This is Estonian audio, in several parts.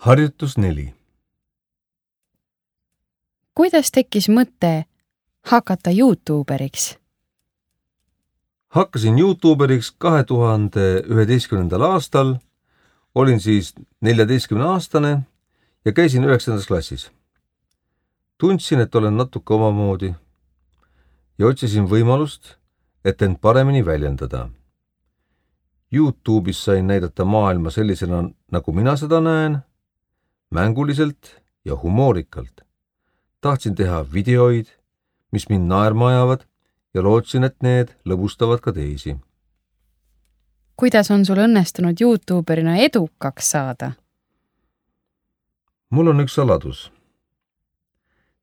Harjutus 4. Kuidas tekkis mõte hakata YouTuberiks? Hakkasin YouTuberiks 2011. aastal, olin siis 14-aastane ja käisin 9. klassis. Tundsin, et olen natuke omamoodi ja otsisin võimalust, et end paremini väljendada. YouTube'is sain näidata maailma sellisena, nagu mina seda näen, mänguliselt ja humoorikalt. Tahtsin teha videoid, mis mind naerma ajavad ja lootsin, et need lõbustavad ka teisi. Kuidas on sul õnnestunud YouTuberina edukaks saada? Mul on üks saladus.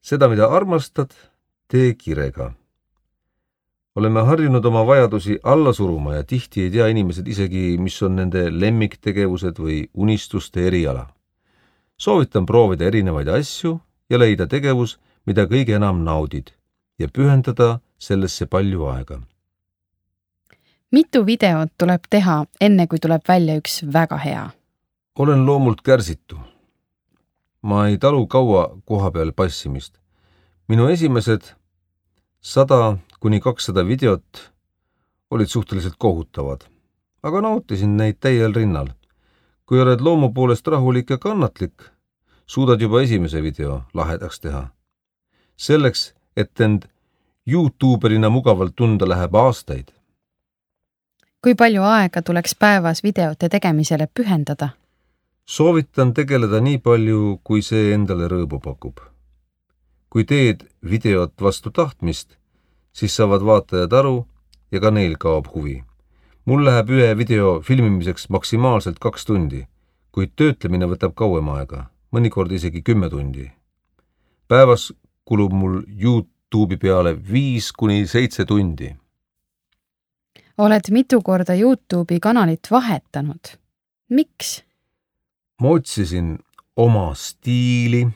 Seda, mida armastad, tee kirega. Oleme harjunud oma vajadusi alla suruma ja tihti ei tea inimesed isegi, mis on nende lemmiktegevused või unistuste eriala. Soovitan proovida erinevaid asju ja leida tegevus, mida kõige enam naudid ja pühendada sellesse palju aega. Mitu videot tuleb teha, enne kui tuleb välja üks väga hea? Olen loomult kärsitu. Ma ei talu kaua koha peal passimist. Minu esimesed 100–200 videot olid suhteliselt kohutavad, aga nautisin neid täiel rinnal. Kui oled loomu poolest rahulik ja kannatlik, suudad juba esimese video lahedaks teha. Selleks, et end YouTuberina mugavalt tunda, läheb aastaid. Kui palju aega tuleks päevas videote tegemisele pühendada? Soovitan tegeleda nii palju, kui see endale rõõmu pakub. Kui teed videot vastu tahtmist, siis saavad vaatajad aru ja ka neil kaob huvi. Mul läheb ühe video filmimiseks maksimaalselt 2 tundi, kuid töötlemine võtab kauem aega, mõnikord isegi 10 tundi. Päevas kulub mul YouTube'i peale 5–7 tundi. Oled mitu korda YouTube'i kanalit vahetanud. Miks? Ma otsisin oma stiili,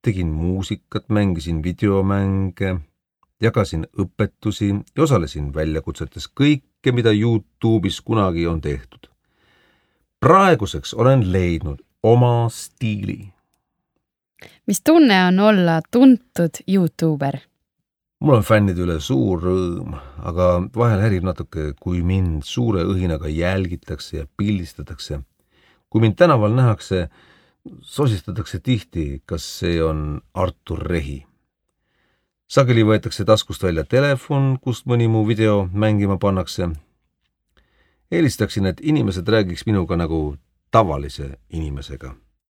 tegin muusikat, mängisin videomänge, jagasin õpetusi ja osalesin väljakutsetes kõike, mida YouTube'is kunagi on tehtud. Praeguseks olen leidnud oma stiili. Mis tunne on olla tuntud YouTuber? Mul on fännide üle suur rõõm, aga vahel härib natuke, kui mind suure õhinaga jälgitakse ja pildistatakse. Kui mind tänaval nähakse, sosistatakse tihti, kas see on Artur Rehi. Sageli võetakse taskust välja telefon, kust mõni mu video mängima pannakse. Eelistaksin, et inimesed räägiks minuga nagu tavalise inimesega.